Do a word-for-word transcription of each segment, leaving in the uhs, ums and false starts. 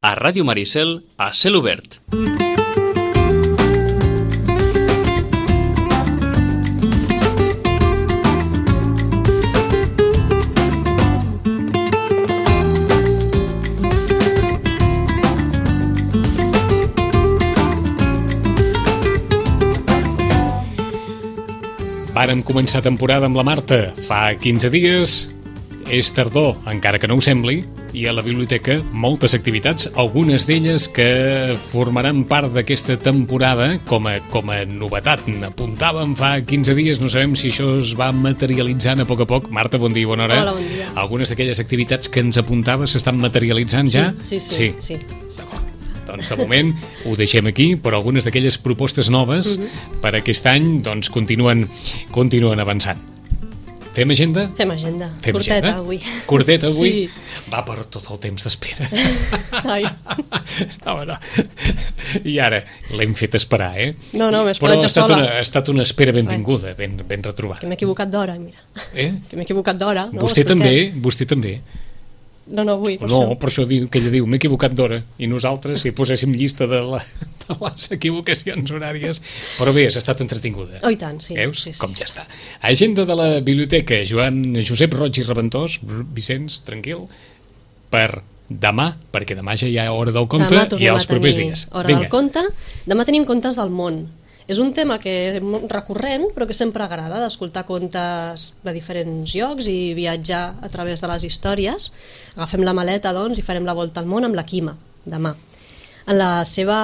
A Ràdio Maricel, a cel obert. Vàrem començar temporada amb la Marta fa quinze dies, és tardor, encara que no ho sembli, i a la biblioteca moltes activitats, algunes d'elles que formaran part d'aquesta temporada com a, com a novetat. N'apuntàvem fa quinze dies, no sabem si això es va materialitzant a poc a poc. Marta, bon dia, bona hora. Hola, bon dia. Algunes d'aquelles activitats que ens apuntaves s'estan materialitzant ja? Sí, sí, sí. sí. D'acord. Doncs de moment ho deixem aquí, però algunes d'aquelles propostes noves uh-huh. per aquest any doncs continuen, continuen avançant. Fem agenda? Fem agenda. Fem Curteta agenda? avui. Curteta avui? Sí. Va per tot el temps d'espera. Ai. No, no. I ara l'hem fet esperar, eh? No, no, m'he esperat ja sola. Però sola. ha estat una espera benvinguda, ben, ben retrobada. Que m'he equivocat d'hora, mira. Eh? Que m'he equivocat d'hora. No? Vostè també, vostè també. No, no vull, per no, això. per això diu, que ella diu, m'he equivocat d'hora, i nosaltres, si poséssim llista de, la, de les equivocacions horàries, però bé, has estat entretinguda. Oh, i tant, sí. Veus? Sí, sí. Com ja està. Agenda de la biblioteca, Joan Josep Roig i Reventós, Vicenç, tranquil, per demà, perquè demà ja hi ha hora del conte i els propers dies. Hora Vinga. del conte. Demà tenim contes del món. És un tema que és recurrent, però que sempre agrada, d'escoltar contes de diferents llocs i viatjar a través de les històries. Agafem la maleta, doncs, i farem la volta al món amb la Quima, demà. En la seva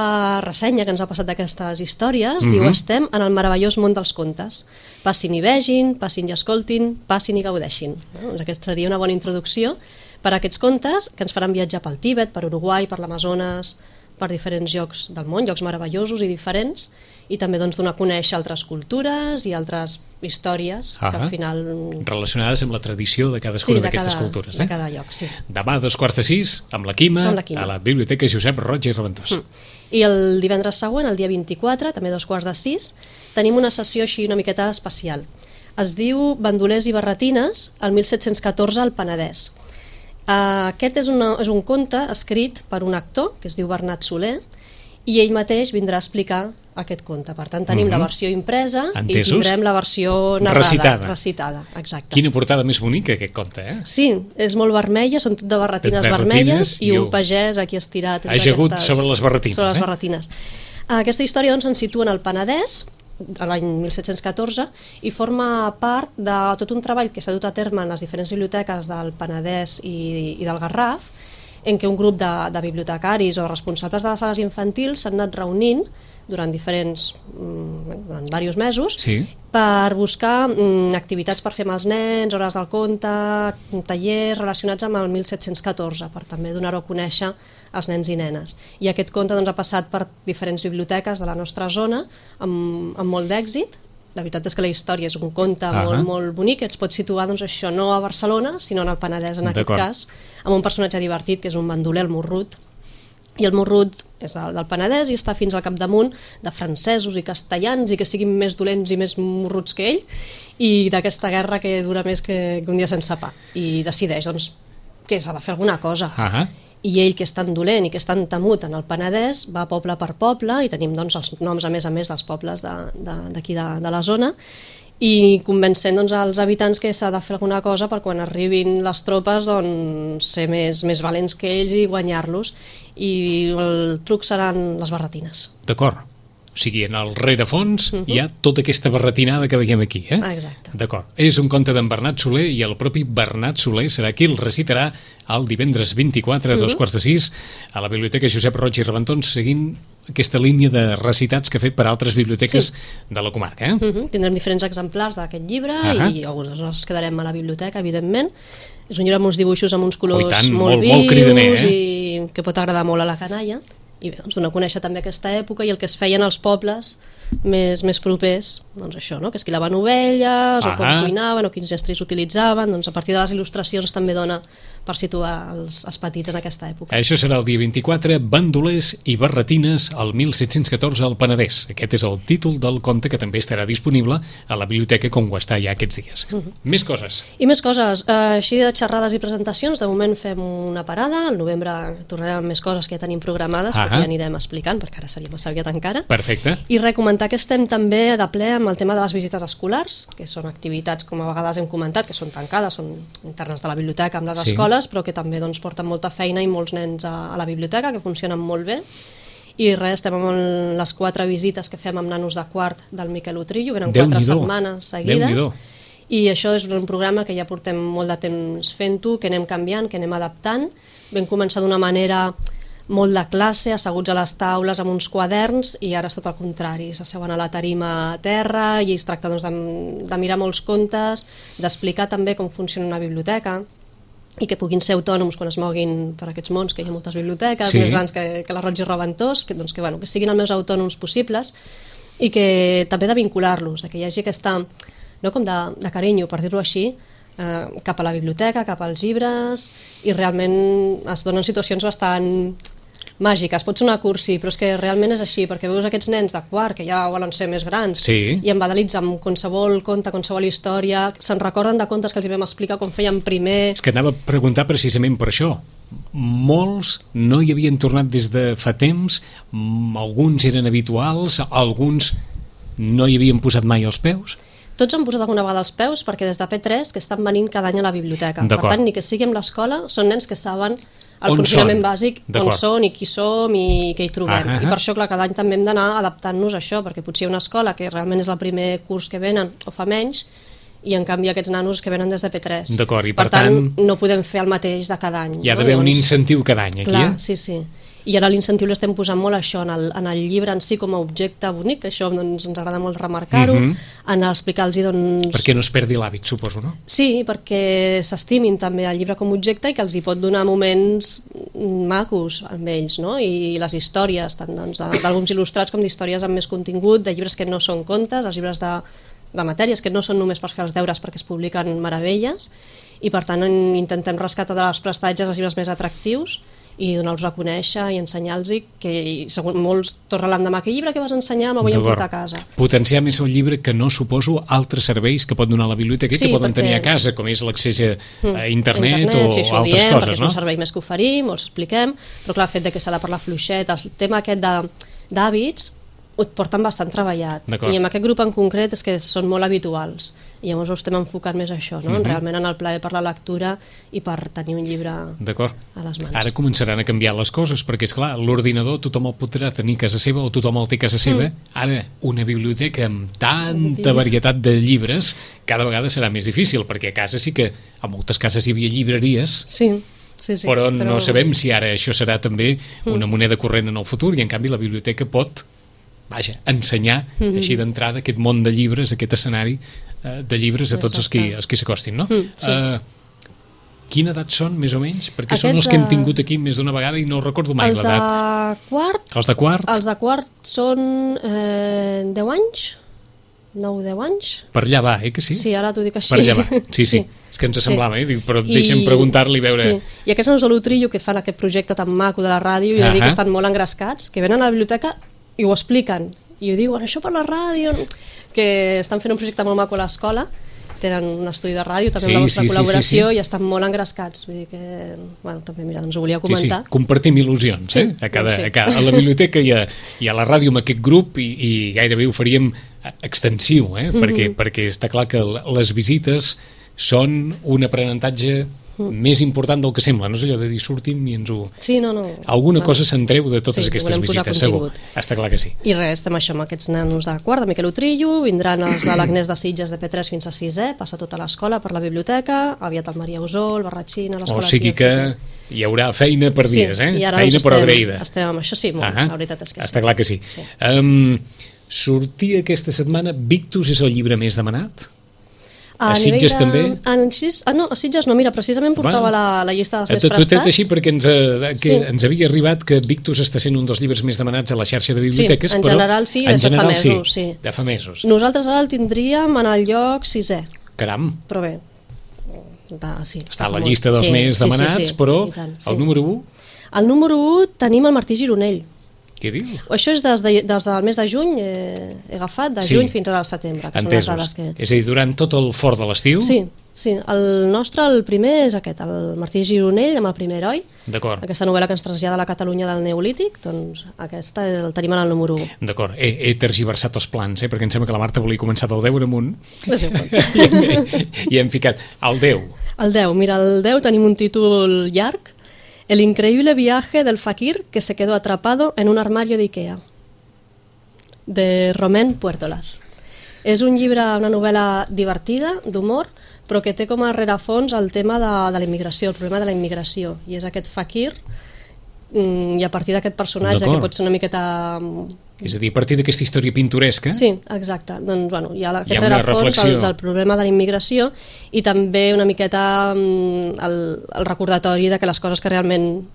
ressenya que ens ha passat d'aquestes històries, mm-hmm. diu, estem en el meravellós món dels contes. Passin i vegin, passin i escoltin, passin i gaudeixin. Doncs aquesta seria una bona introducció per a aquests contes que ens faran viatjar pel Tíbet, per Uruguai, per l'Amazones, per diferents llocs del món, llocs meravellosos i diferents, i també doncs, donar a conèixer altres cultures i altres històries ah que al final... relacionades amb la tradició de cadascuna sí, d'aquestes cada, cultures. Eh? De cada lloc, sí. Demà a dos quarts de sis, amb la Quima, amb la Quima. a la Biblioteca Josep Roig i Reventós. Mm. I el divendres següent, el dia vint-i-quatre, també a dos quarts de sis, tenim una sessió així una miqueta especial. Es diu Bandolers i barretines, el mil set-cents catorze al Penedès. Uh, aquest és, una, és un conte escrit per un actor, que es diu Bernat Soler, i ell mateix vindrà a explicar aquest conte. Per tant, tenim mm-hmm. la versió impresa Entesos? I tindrem la versió narrada, recitada. recitada. Exacte. Quina portada més bonica, aquest conte, eh? Sí, és molt vermella, són tot de barretines, de barretines vermelles i, i un pagès aquí estirat. Ajagut sobre les barretines. Sobre les eh? barretines. Aquesta història doncs, ens situa en el Penedès, a l'any mil set-cents catorze, i forma part de tot un treball que s'ha dut a terme en les diferents biblioteques del Penedès i, i del Garraf, en què un grup de, de bibliotecaris o responsables de les sales infantils s'han anat reunint durant diferents, durant diversos mesos, sí. per buscar mm, activitats per fer amb els nens, hores del conte, tallers relacionats amb el mil set-cents catorze, per també donar-ho a conèixer als nens i nenes. I aquest conte doncs, ha passat per diferents biblioteques de la nostra zona amb, amb molt d'èxit. La veritat és que la història és un conte uh-huh. molt, molt bonic, que ens pot situar doncs, això no a Barcelona, sinó en el Penedès en aquest cas, amb un personatge divertit que és un bandoler, el Morrut, i el Morrut és del, del Penedès i està fins al capdamunt de francesos i castellans i que siguin més dolents i més morruts que ell, i d'aquesta guerra que dura més que, que un dia sense pa, i decideix doncs, que s'ha de fer alguna cosa. Uh-huh. I ell, que és tan dolent i que és tan temut en el Penedès, va poble per poble, i tenim doncs, els noms a més a més dels pobles d'aquí de, de, de, de la zona, i convencent doncs, als habitants que s'ha de fer alguna cosa per quan arribin les tropes doncs, ser més, més valents que ells i guanyar-los, i el truc seran les barretines. D'acord. O sigui, en el rerefons uh-huh. hi ha tota aquesta barretinada que veiem aquí. Eh? Exacte. D'acord. És un conte d'en Bernat Soler i el propi Bernat Soler serà qui el recitarà el divendres vint-i-quatre a dos uh-huh. quarts de sis a la Biblioteca Josep Roig i Reventós, seguint aquesta línia de recitats que ha fet per altres biblioteques sí. de la comarca. Eh? Uh-huh. Tindrem diferents exemplars d'aquest llibre uh-huh. i alguns els quedarem a la biblioteca, evidentment. És un llibre amb uns dibuixos amb uns colors oh, tant, molt, molt vius molt cridaner, eh? i que pot agradar molt a la canalla. I bé, doncs donar a conèixer també aquesta època i el que es feien als pobles més, més propers, doncs això, no? Que esquilaven ovelles, ah, o com cuinaven, o quins estris utilitzaven, doncs a partir de les il·lustracions també dona per situar els, els petits en aquesta època. Això serà el dia vint-i-quatre, Bandolers i barretines al mil set-cents catorze al Penedès. Aquest és el títol del conte que també estarà disponible a la biblioteca com ho està ja aquests dies. Uh -huh. Més coses. I més coses. Uh, així de xerrades i presentacions, de moment fem una parada, al novembre tornarem amb més coses que ja tenim programades, uh -huh. perquè ja anirem explicant, perquè ara seria massa aviat encara. Perfecte. I recomentar que estem també de ple amb el tema de les visites escolars, que són activitats, com a vegades hem comentat, que són tancades, són internes de la biblioteca amb les Sí. escoles, però que també doncs, porten molta feina i molts nens a, a la biblioteca, que funcionen molt bé. I res, estem amb les quatre visites que fem amb nanos de quart del Miquel Utrillo, venen quatre setmanes seguides. I això és un programa que ja portem molt de temps fent-ho, que anem canviant, que anem adaptant. Vam començar d'una manera molt de classe, asseguts a les taules amb uns quaderns, i ara és tot el contrari, s'asseuen a la tarima a terra i es tracta doncs, de, de mirar molts contes, d'explicar també com funciona una biblioteca, i que puguin ser autònoms quan es moguin per aquests mons, que hi ha moltes biblioteques, sí. més grans que, que la Roig i Raventós, que, doncs, que, bueno, que siguin els més autònoms possibles, i que també de vincular-los, que hi hagi aquesta, no com de, de carinyo, per dir-ho així, eh, cap a la biblioteca, cap als llibres, i realment es donen situacions bastant màgiques. Pot ser una cursi, però és que realment és així, perquè veus aquests nens de quart, que ja volen ser més grans, sí. i embadalits amb qualsevol conte, qualsevol història, se'n recorden de contes que els hi vam explicar com feien primer. És que anava a preguntar precisament per això. Molts no hi havien tornat des de fa temps, alguns eren habituals, alguns no hi havien posat mai els peus. Tots han posat alguna vegada els peus, perquè des de P tres que estan venint cada any a la biblioteca. Per tant, ni que sigui amb l'escola, són nens que saben el on funcionament són? Bàsic, on són i qui som i què hi trobem. Ah, ah, ah. I per això, clar, cada any també hem d'anar adaptant-nos a això, perquè potser hi ha una escola que realment és el primer curs que venen o fa menys, i en canvi aquests nanos que venen des de P tres. D'acord, i per, per tant, tant, no podem fer el mateix de cada any. Hi ha d'haver no? un incentiu cada any, aquí, clar, eh? sí, sí. I ara l'incentiu l'estem posant molt això, en el, en el llibre en si com a objecte bonic, que això doncs, ens agrada molt remarcar-ho, uh -huh. en explicar-los doncs... Perquè no es perdi l'hàbit, suposo, no? Sí, perquè s'estimin també el llibre com a objecte i que els hi pot donar moments macos amb ells, no? I les històries, tant doncs, d'àlbums il·lustrats com d'històries amb més contingut, de llibres que no són contes, els llibres de, de matèries que no són només per fer els deures perquè es publiquen meravelles, i per tant intentem rescatar de les prestatges els llibres més atractius i donar-los a conèixer i ensenyar-los que segons molts tornen l'endemà, que llibre que vas ensenyar me vull emportar a casa. Potenciar més el llibre, que no suposo altres serveis que pot donar la biblioteca i sí, que poden perquè... tenir a casa, com és l'accés a mm, internet, internet o sí, altres diem, coses, no? És un servei més que oferim, els expliquem, però clar, el fet de que s'ha de parlar fluixet, el tema aquest d'hàbits ho porten bastant treballat, i en aquest grup en concret és que són molt habituals, i llavors ho estem enfocant més a això, no? Uh-huh. Realment en el plaer per la lectura i per tenir un llibre a les mans. Ara començaran a canviar les coses, perquè és clar, l'ordinador tothom el podrà tenir a casa seva o tothom el té a casa seva, mm. ara una biblioteca amb tanta varietat de llibres cada vegada serà més difícil, perquè a casa sí que a moltes cases hi havia llibreries, sí. Sí, sí, però, però no sabem si ara això serà també una moneda corrent en el futur, i en canvi la biblioteca pot vaja, ensenyar mm-hmm. així d'entrada aquest món de llibres, aquest escenari eh, de llibres a tots els que, els que s'acostin, no? Mm, sí. uh, quina edat són, més o menys? Perquè Aquests, són els que hem tingut aquí més d'una vegada i no recordo mai l'edat. Els de quart? Els de quart? Els de quart són eh, deu anys? nou deu anys? Per allà va, eh, que sí? Sí, ara t'ho dic així. Per allà va, sí, sí. sí. És que ens semblava, eh? Però deixa'm I... preguntar-li, veure... Sí. I aquests nanos de l'Utrillo que fan aquest projecte tan maco de la ràdio, i uh -huh. que estan molt engrescats, que venen a la biblioteca i ho expliquen, i ho diuen, això per la ràdio, que estan fent un projecte molt maco a l'escola, tenen un estudi de ràdio també sí, amb la vostra sí, col·laboració sí, sí, sí. i estan molt engrescats, vull dir que bueno, també mira, ens ho volia comentar. Sí, sí. Compartim il·lusions, sí, eh? a, cada, sí. a, cada, a la biblioteca i a, i a la ràdio amb aquest grup, i, i gairebé ho faríem extensiu, eh? mm-hmm. perquè, perquè està clar que les visites són un aprenentatge Mm. més important del que sembla, no és allò de dir sortim i ens ho... Sí, no, no. Alguna bueno. cosa se'n treu de totes sí, aquestes visites, segur. Està clar que sí. I res, estem això amb aquests nanos de quart, de Miquel Utrillo, vindran els de l'Agnès de Sitges de P tres fins a sisè, passa tota l'escola per la biblioteca, aviat el Maria Usó, el Barratxina, l'escola... O sigui que hi haurà feina per dies, sí, eh? I ara feina estem, però agraïda. Estem amb això, sí, molt, uh-huh. la veritat és que sí. Està clar que sí. sí. Um, sortia aquesta setmana Victus és el llibre més demanat? A, a Sitges de... també? A, ah, no, a Sitges no, mira, precisament portava la, la llista dels més tu, prestats. Tu t'he així perquè ens, que sí. ens havia arribat que Victus està sent un dels llibres més demanats a la xarxa de biblioteques, sí, en però general sí, en general, de fa mesos, sí. sí. De fa mesos. Nosaltres ara el tindríem en el lloc sisè. Caram. Però bé, De, sí, està a la llista dels sí, més demanats, sí, sí, sí. Però tant, sí. El número u? El número u tenim el Martí Gironell. Què diu? Això és des, de, des del mes de juny, eh, he agafat, de sí. juny fins al setembre. Que entesos. Són les dades que... És a dir, durant tot el fort de l'estiu? Sí, sí. El nostre, el primer és aquest, el Martí Gironell amb el primer heroi. D'acord. Aquesta novel·la que ens trasllada a la Catalunya del Neolític, doncs aquesta el tenim en el número u. D'acord, he, he tergiversat els plans, eh, perquè em sembla que la Marta volia començar del deu amunt. És igual. I, hem, I hem ficat el deu. El deu, mira, el deu tenim un títol llarg, El increíble viaje del fakir que se quedó atrapado en un armario de Ikea, de Romain Puertolas. És un llibre, una novel·la divertida, d'humor, però que té com a rerefons el tema de, de la immigració, el problema de la immigració, i és aquest fakir, i a partir d'aquest personatge, que pot ser una miqueta... És a dir, a partir d'aquesta història pintoresca... Sí, exacte. Doncs, bueno, hi ha aquest rerefons del, del problema de la immigració i també una miqueta el, el recordatori de que les coses que realment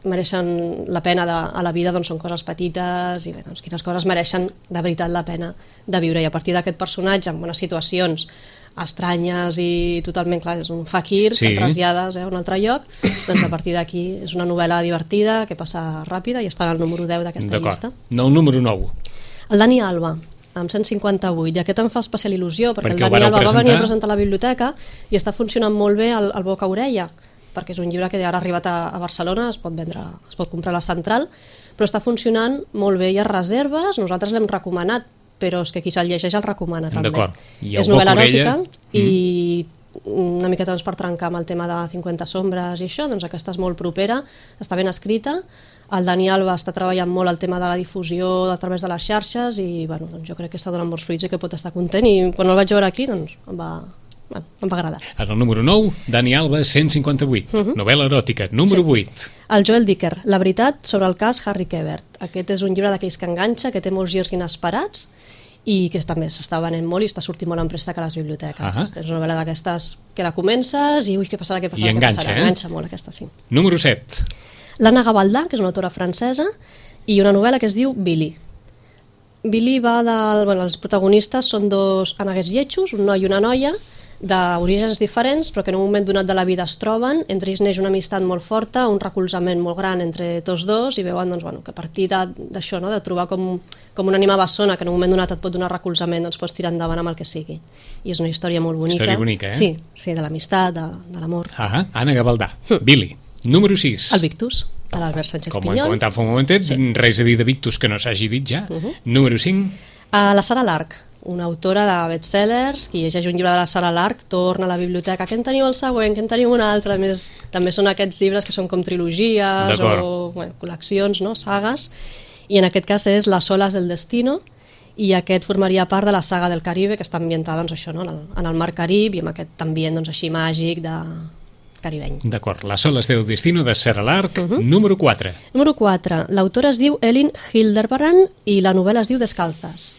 mereixen la pena de, a la vida doncs són coses petites i bé, doncs, quines coses mereixen de veritat la pena de viure. I a partir d'aquest personatge, en bones situacions estranyes i totalment, clar, és un fakir sí. Que trasllades eh, a un altre lloc, doncs a partir d'aquí és una novel·la divertida que passa ràpida i està al número deu d'aquesta llista. No, el número nou. El Dani Alba, amb cent cinquanta-vuit, i aquest em fa especial il·lusió perquè, perquè el Dani Alba presentar... va venir a presentar a la biblioteca i està funcionant molt bé el, el boca-orella, perquè és un llibre que ara ha arribat a, a Barcelona, es pot vendre, es pot comprar a la Central, però està funcionant molt bé, hi ha reserves, nosaltres l'hem recomanat, però és que qui se'l llegeix el recomana també. És novel·la eròtica mm. i una miqueta doncs, per trencar amb el tema de cinquanta sombres i això, doncs aquesta és molt propera, està ben escrita. El Dani Alba està treballant molt el tema de la difusió a través de les xarxes i bueno, doncs jo crec que està donant molts fruits i que pot estar content, i quan el vaig veure aquí doncs em va, bueno, em va agradar. En el número nou, Dani Alba, cent cinquanta-vuit, uh -huh. novel·la eròtica. Número sí. vuit. El Joel Dicker, La veritat sobre el cas Harry Quebert. Aquest és un llibre d'aquells que enganxa, que té molts girs inesperats i que també s'està venent molt i està sortint molt en préstec a les biblioteques. Uh -huh. És una novel·la d'aquestes que la comences i ui, què passarà, què passarà, I enganxa, què passarà. Eh? Enganxa molt aquesta, sí. Número set. L'Anna Gavaldà, que és una autora francesa, i una novel·la que es diu Billy. Billy va del... Bueno, els protagonistes són dos aneguets lletjos, un noi i una noia, d'orígens diferents, però que en un moment donat de la vida es troben, entre ells neix una amistat molt forta, un recolzament molt gran entre tots dos, i veuen doncs, bueno, que a partir d'això, no, de trobar com, com una ànima bessona que en un moment donat et pot donar recolzament, doncs pots tirar endavant amb el que sigui. I és una història molt bonica. Història bonica, eh? Sí, sí, de l'amistat, de, de l'amor. Ah, Anna Gavaldà. Hm. Billy. Número sis. El Victus, de l'Albert Sánchez Com Pinyol. Com ho hem comentat fa un momentet, sí. Res a dir de Victus que no s'hagi dit ja. Uh -huh. Número cinc. Uh, la Sara Lark, una autora de bestsellers, qui llegeix un llibre de la Sara Lark, torna a la biblioteca, que en teniu el següent, que en teniu un altre, a més, també són aquests llibres que són com trilogies o bueno, col·leccions, no? Sagues, i en aquest cas és Las olas del destino, i aquest formaria part de la saga del Caribe, que està ambientada doncs, això, no? en, el, en el mar Carib i amb aquest ambient doncs, així màgic de caribeny. D'acord, Las olas del destino de Sara Lark. Uh -huh. Número quatre. Número quatre. L'autora es diu Elin Hilderbrand i la novel·la es diu Descalzas.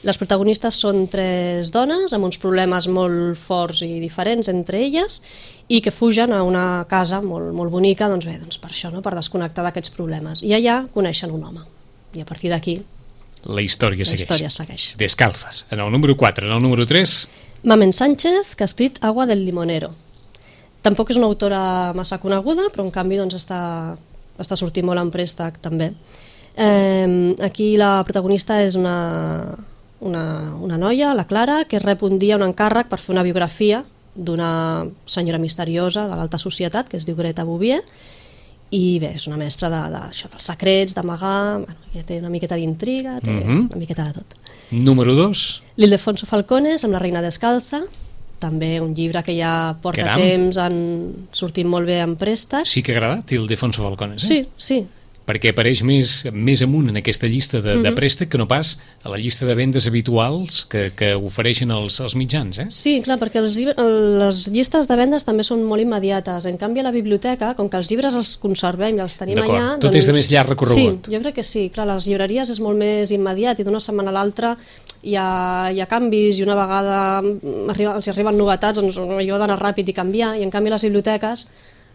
Les protagonistes són tres dones amb uns problemes molt forts i diferents entre elles i que fugen a una casa molt, molt bonica, doncs bé, doncs per això, no? Per desconnectar d'aquests problemes. I allà coneixen un home. I a partir d'aquí la història segueix. La història segueix. Descalzas. En el número quatre. En el número tres. Mamen Sánchez, que ha escrit Agua del limonero. Tampoc és una autora massa coneguda, però en canvi doncs, està, està sortint molt en préstec també. Eh, aquí la protagonista és una, una, una noia, la Clara, que rep un dia un encàrrec per fer una biografia d'una senyora misteriosa de l'alta societat que es diu Greta Bouvier, i bé, és una mestra de, de, això, dels secrets, d'amagar, bueno, ja té una miqueta d'intriga, té uh -huh. una miqueta de tot. Número dos. L'Ildefonso Falcones, amb La reina descalza, també un llibre que ja porta Caram. temps en sortint molt bé en préstec. Sí que ha agradat, Ildefonso Falcones, eh? Sí, sí. Perquè apareix més, més amunt en aquesta llista de, uh -huh. de préstec que no pas a la llista de vendes habituals que, que ofereixen els, els mitjans, eh? Sí, clar, perquè els, les llistes de vendes també són molt immediates. En canvi, a la biblioteca, com que els llibres els conservem i els tenim allà... Tot doncs, és de més llarg recorregut. Sí, jo crec que sí. Clar, les llibreries és molt més immediat i d'una setmana a l'altra hi ha, hi ha canvis i una vegada arriba, els arriben novetats, doncs allò d'anar ràpid i canviar, i en canvi les biblioteques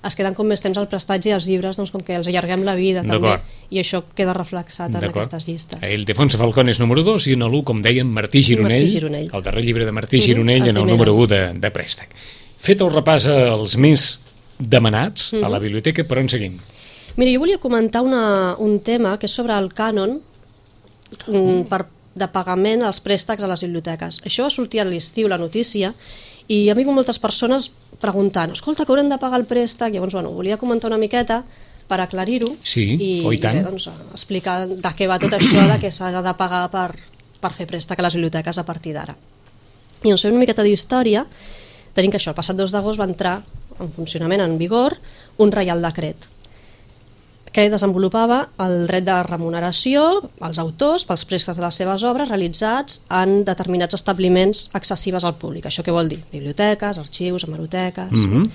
es queden com més temps al prestatge i els llibres doncs com que els allarguem la vida també, i això queda reflexat en aquestes llistes. Ildefonso Falcones número dos i en l'u, com dèiem, Martí Gironell, Martí Gironell, el darrer llibre de Martí Gironell uh -huh, en el número u de, de préstec. fet el repàs als més demanats uh-huh. a la biblioteca, per on seguim? Mira, jo volia comentar una, un tema que és sobre el cànon uh. per, de pagament dels préstecs a les biblioteques. Això va sortir a l'estiu, la notícia, i a mi moltes persones preguntant, escolta, que haurem de pagar el préstec? Llavors, bueno, volia comentar una miqueta per aclarir-ho sí, i, oh, i, i bé, doncs, explicar de què va tot això, de què s'ha de pagar per, per fer préstec a les biblioteques a partir d'ara. I doncs fem una miqueta d'història. Tenim que això, el passat dos d'agost va entrar en funcionament, en vigor, un reial decret que desenvolupava el dret de remuneració als autors pels préstecs de les seves obres realitzats en determinats establiments accessibles al públic. Això què vol dir? Biblioteques, arxius, hemeroteques... Mm-hmm.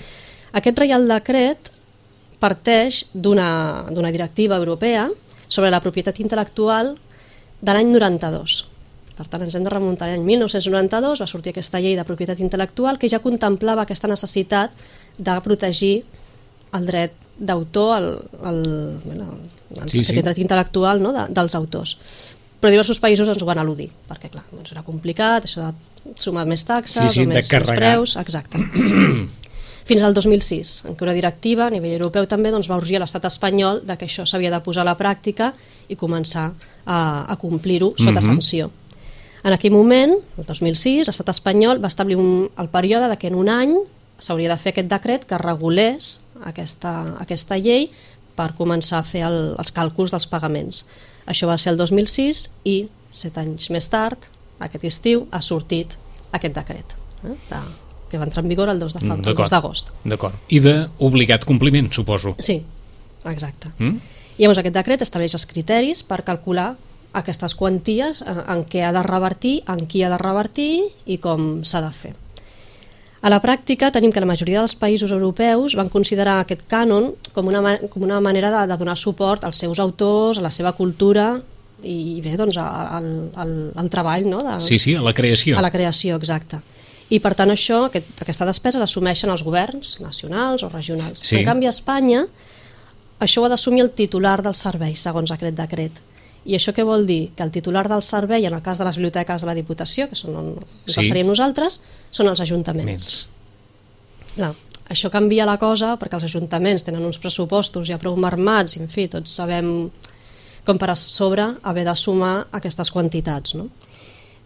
Aquest reial decret parteix d'una d'una directiva europea sobre la propietat intel·lectual de l'any noranta-dos. Per tant, ens hem de remuntar a l'any mil nou-cents noranta-dos, va sortir aquesta llei de propietat intel·lectual que ja contemplava aquesta necessitat de protegir el dret d'autor, el, el, bueno, el, sí, aquest sí. dret intel·lectual, no, de, dels autors. Però diversos països ens ho van eludir, perquè clar, doncs era complicat, això de sumar més taxes, sí, sí, o més, més preus, exacte. Fins al dos mil sis, en què una directiva a nivell europeu també doncs, va urgir a l'estat espanyol de que això s'havia de posar a la pràctica i començar a, a complir-ho sota mm-hmm. sanció. En aquell moment, el dos mil sis, l'estat espanyol va establir un, el període de que en un any s'hauria de fer aquest decret que regulés aquesta, aquesta llei per començar a fer el, els càlculs dels pagaments. Això va ser el dos mil sis i set anys més tard, aquest estiu, ha sortit aquest decret, eh, de, que va entrar en vigor el dos d'agost. D'acord. I d'obligat compliment, suposo. Sí, exacte. Mm? I llavors aquest decret estableix els criteris per calcular aquestes quanties, en què ha de revertir, en qui ha de revertir i com s'ha de fer. A la pràctica tenim que la majoria dels països europeus van considerar aquest cànon com una, com una manera de, de donar suport als seus autors, a la seva cultura i bé, doncs al, al, al treball, no? De, sí, sí, a la creació. A la creació, exacte. I per tant això, aquest, aquesta despesa l'assumeixen els governs nacionals o regionals. Sí. En canvi a Espanya això ho ha d'assumir el titular del servei, segons aquest decret. I això què vol dir? Que el titular del servei, en el cas de les biblioteques de la Diputació, que són on sí. estaríem nosaltres, són els ajuntaments. Clar, això canvia la cosa perquè els ajuntaments tenen uns pressupostos ja prou marmats, i en fi, tots sabem com per a sobre haver de sumar aquestes quantitats, no?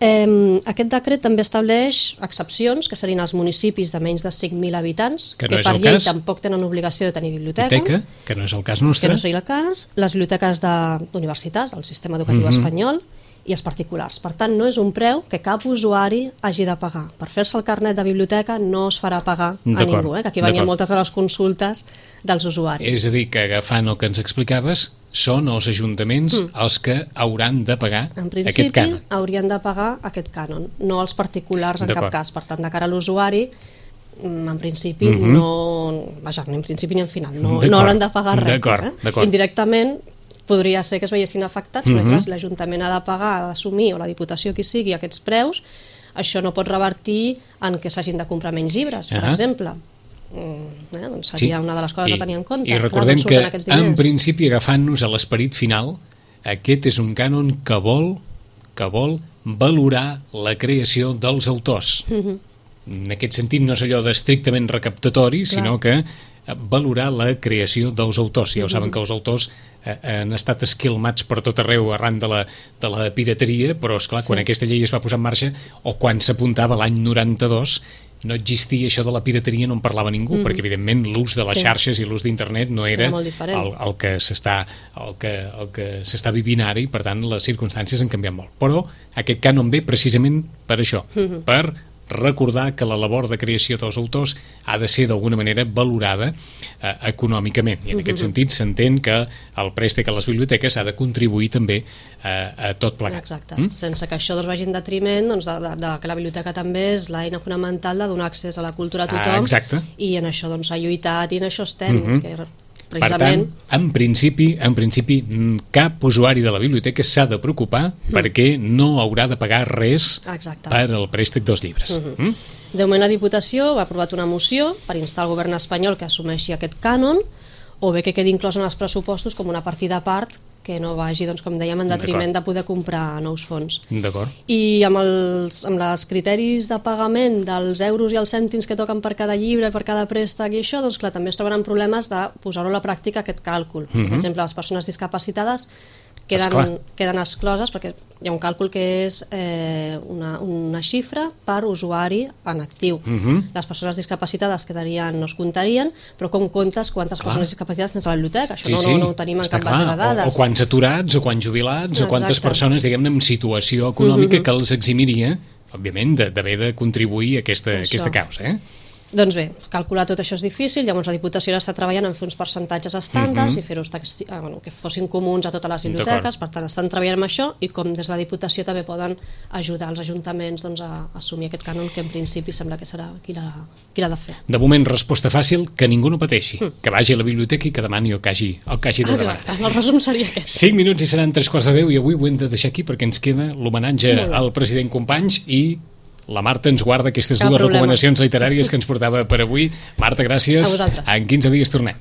Eh, aquest decret també estableix excepcions, que serien els municipis de menys de cinc mil habitants, que, no que per llei cas. tampoc tenen obligació de tenir biblioteca, biblioteca, que no és el cas nostre. Que no seria el cas, les biblioteques d'universitats, el sistema educatiu mm-hmm. espanyol, i els particulars. Per tant, no és un preu que cap usuari hagi de pagar. Per fer-se el carnet de biblioteca no es farà pagar a ningú, eh? Que aquí venien moltes de les consultes dels usuaris. És a dir, que agafant el que ens explicaves, són els ajuntaments mm. els que hauran de pagar aquest cànon. En principi haurien de pagar aquest cànon, no els particulars en cap cas. Per tant, de cara a l'usuari, en principi mm-hmm. no... Vaja, ni en principi ni en final, no, no hauran de pagar res. Eh? Indirectament podria ser que es veiessin afectats, mm-hmm. perquè si l'Ajuntament ha de pagar, ha d'assumir, o la Diputació qui sigui, aquests preus, això no pot revertir en que s'hagin de comprar menys llibres, per uh-huh. exemple. Mm, eh, doncs seria sí. una de les coses I, a tenir en compte. I recordem que, en principi, agafant-nos a l'esperit final, aquest és un cànon que vol, que vol valorar la creació dels autors. Mm-hmm. En aquest sentit, no és allò d'estrictament recaptatori, Clar. sinó que valorar la creació dels autors. Ja ho saben que els autors eh, han estat esquilmats per tot arreu arran de la, de la pirateria, però esclar, sí. quan aquesta llei es va posar en marxa, o quan s'apuntava l'any noranta-dos, no existia això de la pirateria, no en parlava ningú, mm-hmm. perquè evidentment l'ús de les sí. xarxes i l'ús d'internet no era, era el, el que s'està el que, el que s'està vivint ara, i per tant les circumstàncies han canviat molt. Però aquest cànon ve precisament per això, mm-hmm. per recordar que la labor de creació dels autors ha de ser d'alguna manera valorada eh, econòmicament, i en aquest uh-huh. sentit s'entén que el préstec a les biblioteques ha de contribuir també eh, a tot plegat. Exacte, mm? sense que això doncs, vagi en detriment doncs, de, de, de que la biblioteca també és l'eina fonamental de donar accés a la cultura a tothom, ah, i en això doncs, s'ha lluitat i en això estem, uh-huh. que Per precisament... tant, en principi, en principi, cap usuari de la biblioteca s'ha de preocupar mm. perquè no haurà de pagar res Exacte. per al préstec dels llibres. Mm-hmm. Mm? De moment la Diputació ha aprovat una moció per instar el govern espanyol que assumeixi aquest cànon, o bé que quedi inclòs en els pressupostos com una partida a part que no vagi, doncs, com dèiem, en detriment de poder comprar nous fons. D'acord. I amb els amb els criteris de pagament dels euros i els cèntims que toquen per cada llibre, per cada préstec i això, doncs clar, també es trobaran problemes de posar-ho a la pràctica aquest càlcul. Uh-huh. Per exemple, les persones discapacitades queden, queden excloses perquè hi ha un càlcul que és eh, una, una xifra per usuari en actiu. Uh-huh. Les persones discapacitades quedarien, no es comptarien, però com comptes quantes clar. persones discapacitades tens a la biblioteca? Això sí, no, no, no ho tenim en cap clar. base de dades. O, o quants aturats, o quants jubilats, Exacte. o quantes persones, diguem-ne, en situació econòmica uh-huh. que els eximiria, òbviament, d'haver de contribuir a aquesta, aquesta causa, eh? Doncs bé, calcular tot això és difícil, llavors la Diputació està treballant en fer uns percentatges estàndards uh-huh. i fer-los eh, bueno, que fossin comuns a totes les biblioteques, per tant estan treballant amb això i com des de la Diputació també poden ajudar els ajuntaments doncs, a assumir aquest cànon que en principi sembla que serà qui l'ha de fer. De moment, resposta fàcil, que ningú no pateixi, mm. que vagi a la biblioteca i que demani el que hagi, el que hagi de demanar. Exacte, el resum seria aquest. cinc minuts i seran tres quarts de deu i avui ho hem de deixar aquí perquè ens queda l'homenatge al president Companys i la Marta ens guarda aquestes Cap dues problema. recomanacions literàries que ens portava per avui. Marta, gràcies. A vosaltres. En quinze dies tornem.